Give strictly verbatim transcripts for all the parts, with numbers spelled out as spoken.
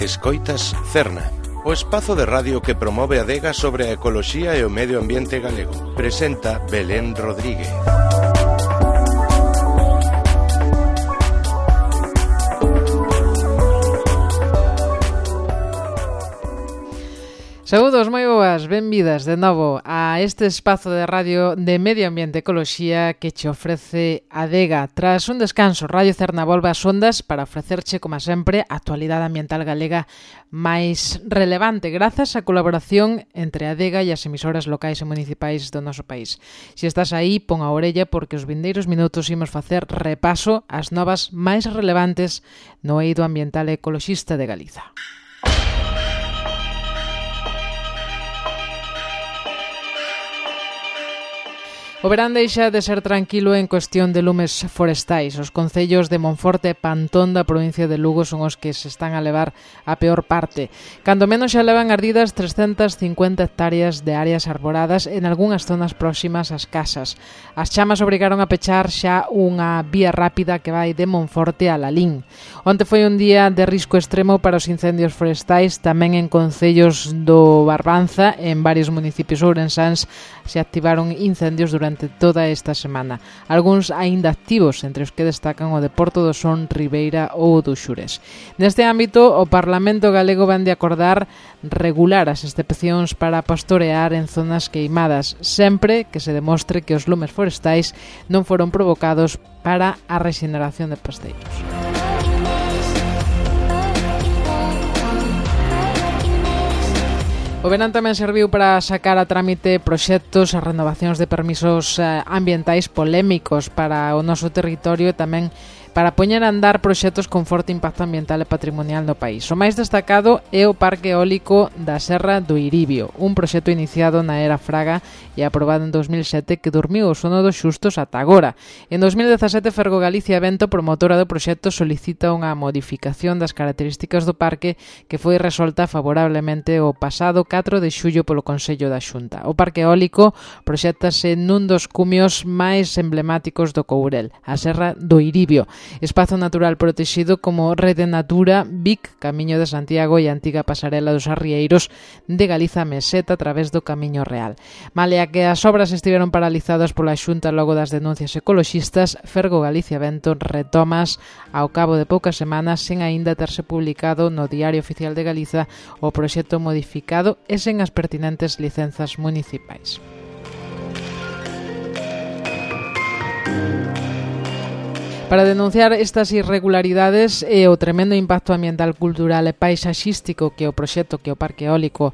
Escoitas Cerna, o espazo de radio que promove a adega sobre a ecoloxía e o medio ambiente galego. Presenta Belén Rodríguez. Saúdos moi boas, benvidas de novo a este espazo de radio de Medio Ambiente e Ecoloxía que che ofrece Adega. Tras un descanso, Radio Cerna volve ás ondas para ofrecerche, como sempre, a actualidade ambiental galega máis relevante grazas á colaboración entre Adega e as emisoras locais e municipais do noso país. Se estás aí, pon a orella porque os vindeiros minutos imos facer repaso ás novas máis relevantes no eido ambiental e ecoloxista de Galiza. O verán deixa de ser tranquilo en cuestión de lumes forestais. Os concellos de Monforte e Pantón da provincia de Lugo son os que se están a levar a peor parte. Cando menos xa levan ardidas trescentas cincuenta hectáreas de áreas arboradas en algunhas zonas próximas ás casas. As chamas obrigaron a pechar xa unha vía rápida que vai de Monforte a Lalín. Onte foi un día de risco extremo para os incendios forestais, tamén en concellos do Barbanza, en varios municipios ourensáns se activaron incendios durante toda esta semana. Algúns aínda activos, entre os que destacan o de Porto do Son, Ribeira ou do Xures. Neste ámbito, o Parlamento galego van de acordar regular as excepcións para pastorear en zonas queimadas, sempre que se demostre que os lumes forestais non foron provocados para a rexeneración de pasteiros. O verán tamén serviu para sacar a trámite proxectos e renovacións de permisos ambientais polémicos para o noso territorio e tamén para poñer a andar proxectos con forte impacto ambiental e patrimonial no país. O máis destacado é o Parque Eólico da Serra do Iribio, un proxecto iniciado na era Fraga e aprobado en dos mil sete que dormiu o sono dos xustos ata agora. En dos mil dezasete, Fergo Galicia Vento, promotora do proxecto, solicita unha modificación das características do parque que foi resolta favorablemente o pasado catro de xullo polo Consello da Xunta. O Parque Eólico proxéctase nun dos cumios máis emblemáticos do Courel, a Serra do Iribio, espazo natural protexido como Rede Natura, Vic, Camiño de Santiago e a antiga pasarela dos arrieiros de Galiza Meseta a través do Camiño Real. Malea que as obras estiveron paralizadas pola Xunta logo das denuncias ecoloxistas, Fergo Galicia Vento retomas ao cabo de poucas semanas sen aínda terse publicado no Diario Oficial de Galiza o proxecto modificado e sen as pertinentes licenzas municipais. Para denunciar estas irregularidades e o tremendo impacto ambiental, cultural e paisaxístico que o proxecto que o Parque Eólico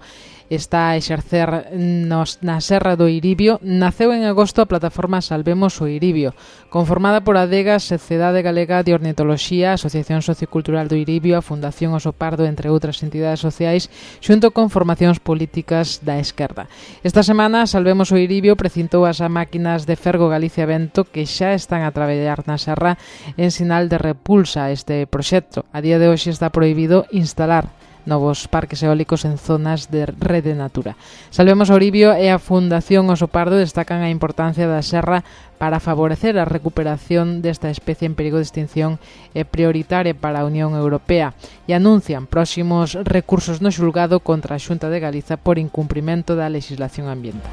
está a exercer nos, na Serra do Iribio, naceu en agosto a plataforma Salvemos o Iribio, conformada por Adega, Sociedade Galega de Ornitoloxía, Asociación Sociocultural do Iribio, a Fundación Oso Pardo, entre outras entidades sociais, xunto con formacións políticas da esquerda. Esta semana, Salvemos o Iribio precintou as máquinas de Fergo Galicia Vento que xa están a traballar na serra en sinal de repulsa a este proxecto. A día de hoxe está prohibido instalar novos parques eólicos en zonas de Rede Natura. Salvemos o Iribio e a Fundación Oso Pardo destacan a importancia da serra para favorecer a recuperación desta especie en perigo de extinción e prioritaria para a Unión Europea e anuncian próximos recursos no xulgado contra a Xunta de Galiza por incumprimento da legislación ambiental.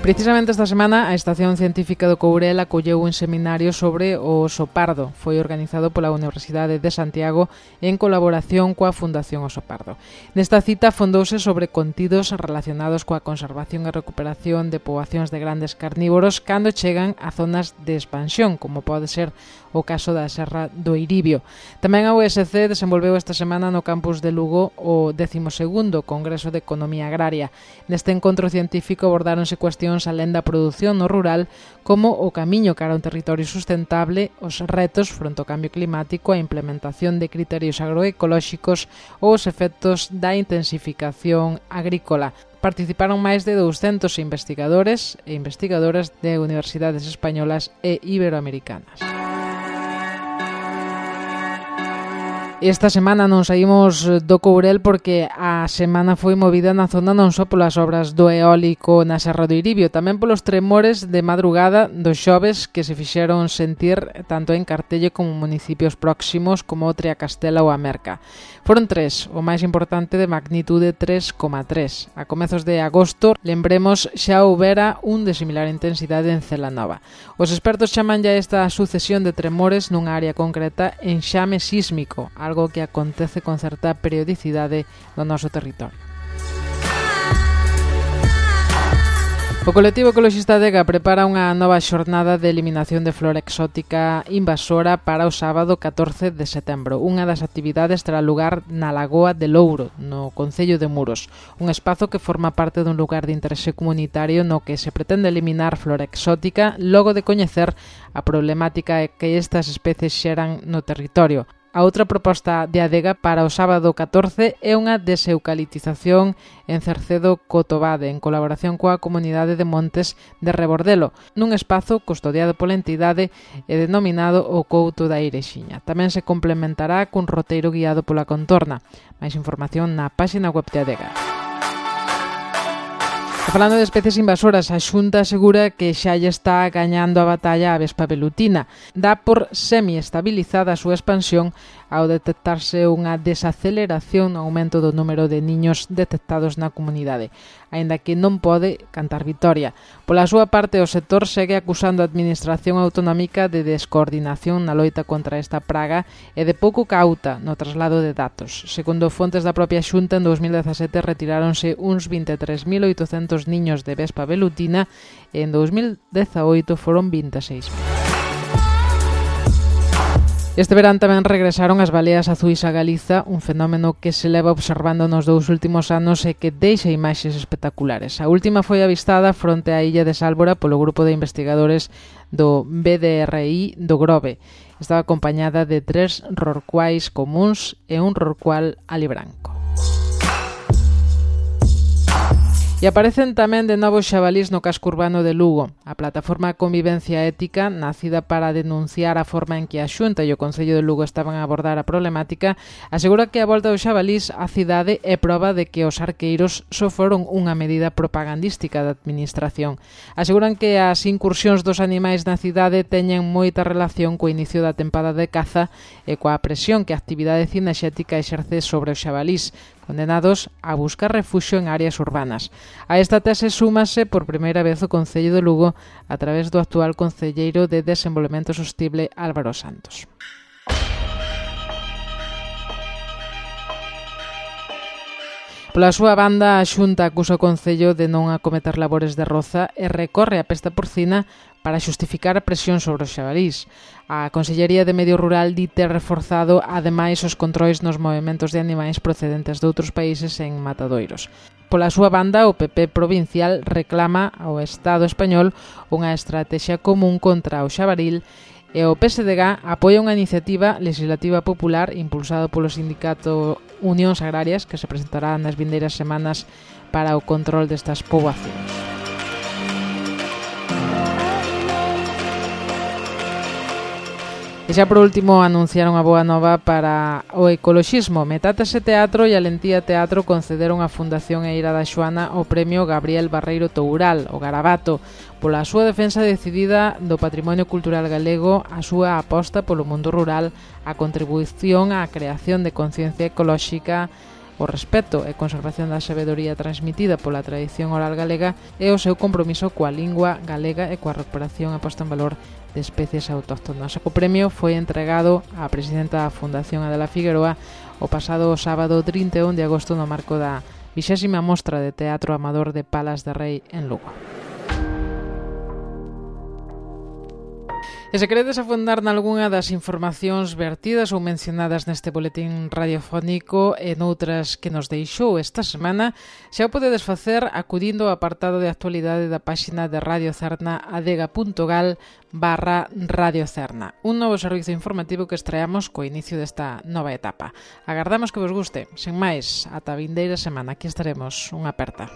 Precisamente esta semana a Estación Científica do Courel acolleu un seminario sobre o oso pardo. Foi organizado pola Universidade de Santiago en colaboración coa Fundación Oso Pardo. Nesta cita fondouse sobre contidos relacionados coa conservación e recuperación de poboacións de grandes carnívoros cando chegan a zonas de expansión, como pode ser o caso da Serra do Iribio. Tamén a U S C desenvolveu esta semana no campus de Lugo o décimo segundo Congreso de Economía Agraria. Neste encontro científico abordáronse cuestións alén da produción no rural, como o camiño cara a un territorio sustentable, os retos fronte ao cambio climático, a implementación de criterios agroecolóxicos ou os efectos da intensificación agrícola. Participaron máis de douscentos investigadores e investigadoras de universidades españolas e iberoamericanas. Esta semana non saímos do Courel porque a semana foi movida na zona non só polas obras do eólico na Serra do Iribio, tamén polos tremores de madrugada dos xoves que se fixeron sentir tanto en Cartelle como municipios próximos como Triacastela ou a Merca. Foron tres, o máis importante de magnitude tres coma tres. A comezos de agosto, lembremos, xa houbera un de similar intensidade en Celanova. Os expertos chaman ya esta sucesión de tremores nunha área concreta enxame sísmico, algo que acontece con certa periodicidade no noso territorio. O colectivo ecoloxista Adega prepara unha nova xornada de eliminación de flora exótica invasora para o sábado catorce de setembro. Unha das actividades terá lugar na Lagoa de Louro, no concello de Muros, un espazo que forma parte dun lugar de interese comunitario no que se pretende eliminar flora exótica logo de coñecer a problemática que estas especies xeran no territorio. A outra proposta de Adega para o sábado catorce é unha deseucaliptización en Cercedo Cotobade, en colaboración coa comunidade de Montes de Rebordelo, nun espazo custodiado pola entidade e denominado o Couto da Irexiña. Tamén se complementará cun roteiro guiado pola contorna. Máis información na páxina web de Adega. Falando de especies invasoras, a Xunta asegura que xa lle está gañando a batalla a vespa velutina. Dá por semi-estabilizada a súa expansión ao detectarse unha desaceleración no aumento do número de niños detectados na comunidade, aínda que non pode cantar vitoria. Pola súa parte, o sector segue acusando a Administración Autonómica de descoordinación na loita contra esta praga e de pouco cauta no traslado de datos. Segundo fontes da propia Xunta, en dous mil dezasete retiráronse uns vinte e tres mil oitocentos niños de vespa velutina e en dous mil dezaoito foron vinte e seis mil. Este verán tamén regresaron as baleas azuis a Galiza, un fenómeno que se leva observando nos dous últimos anos e que deixa imaxes espectaculares. A última foi avistada fronte á illa de Sálvora polo grupo de investigadores do B D R I do Grove. Estaba acompañada de tres rorcuais comúns e un rorcual alibranco. E aparecen tamén de novo xabalís no casco urbano de Lugo. A plataforma Convivencia Ética, nacida para denunciar a forma en que a Xunta e o Concello de Lugo estaban a abordar a problemática, asegura que a volta do xabalís á cidade é proba de que os arqueiros só foron unha medida propagandística da administración. Aseguran que as incursións dos animais na cidade teñen moita relación co inicio da tempada de caza e coa presión que a actividade cinexética exerce sobre os xabalís, condenados a buscar refuxio en áreas urbanas. A esta tese súmase por primeira vez o Concello de Lugo a través do actual concelleiro de Desenvolvemento Sostible Álvaro Santos. Pola súa banda, a Xunta acusa o Concello de non acometer labores de roza e recorre a pesta porcina para xustificar a presión sobre os xabalís. A Consellería de Medio Rural di ter reforzado ademais os controis nos movementos de animais procedentes de outros países en matadoiros. Pola súa banda, o P P provincial reclama ao Estado español unha estrategia común contra o xabaril e o P S D G apoia unha iniciativa legislativa popular impulsado polo sindicato Unións Agrarias que se presentará nas vindeiras semanas para o control destas poboacións. E xa por último anunciaron a boa nova para o ecoloxismo. Metástase Teatro e Alentía Teatro concederon a Fundación Eira da Xoana o premio Gabriel Barreiro Toural, o Garabato, pola súa defensa decidida do patrimonio cultural galego, a súa aposta polo mundo rural, a contribución á creación de conciencia ecolóxica, o respeto e conservación da sabedoría transmitida pola tradición oral galega e o seu compromiso coa lingua galega e coa recuperación e posta en valor de especies autóctonas. O premio foi entregado á presidenta da Fundación Adela Figueroa o pasado sábado trinta e un de agosto no marco da vixésima mostra de teatro amador de Palas de Rei en Lugo. E se queredes afondar nalgúna das informacións vertidas ou mencionadas neste boletín radiofónico e noutras que nos deixou esta semana, xa o podedes facer acudindo ao apartado de actualidade da páxina de Radio Cerna adega.gal barra Radio Cerna, un novo servizo informativo que estreamos co inicio desta nova etapa. Agardamos que vos guste. Sen máis, ata a vindeira semana, aquí estaremos. Unha aperta.